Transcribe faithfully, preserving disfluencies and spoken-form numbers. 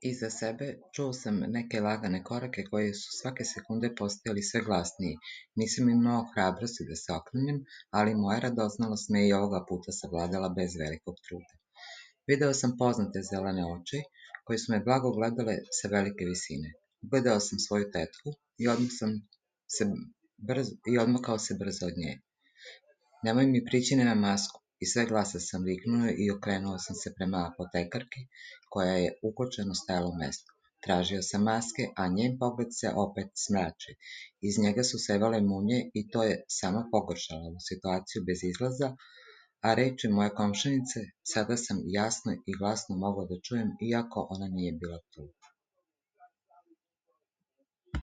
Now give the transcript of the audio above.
Iza sebe čuo sam neke lagane korake koji su svake sekunde postajali sve glasniji. Nisam imao hrabrosti da se okrenem, ali moja radoznalost me i ovoga puta savladala bez velikog truda. Video sam poznate zelene oči, koje su me blago gledale sa velike visine. Ugledao sam svoju tetku i odmah sam se brzo, i odmakao se brzo od nje. Nemoj mi prići, nema masku. I sve glasa sam viknuo i okrenuo sam se prema apotekarki, koja je ukočeno stajala u mestu. Tražio sam maske, a njen pogled se opet smrači. Iz njega su sevale munje i to je samo pogoršalo ovu situaciju bez izlaza, a reči moje komšinice sada sam jasno i glasno mogla da čujem, iako ona nije bila tu.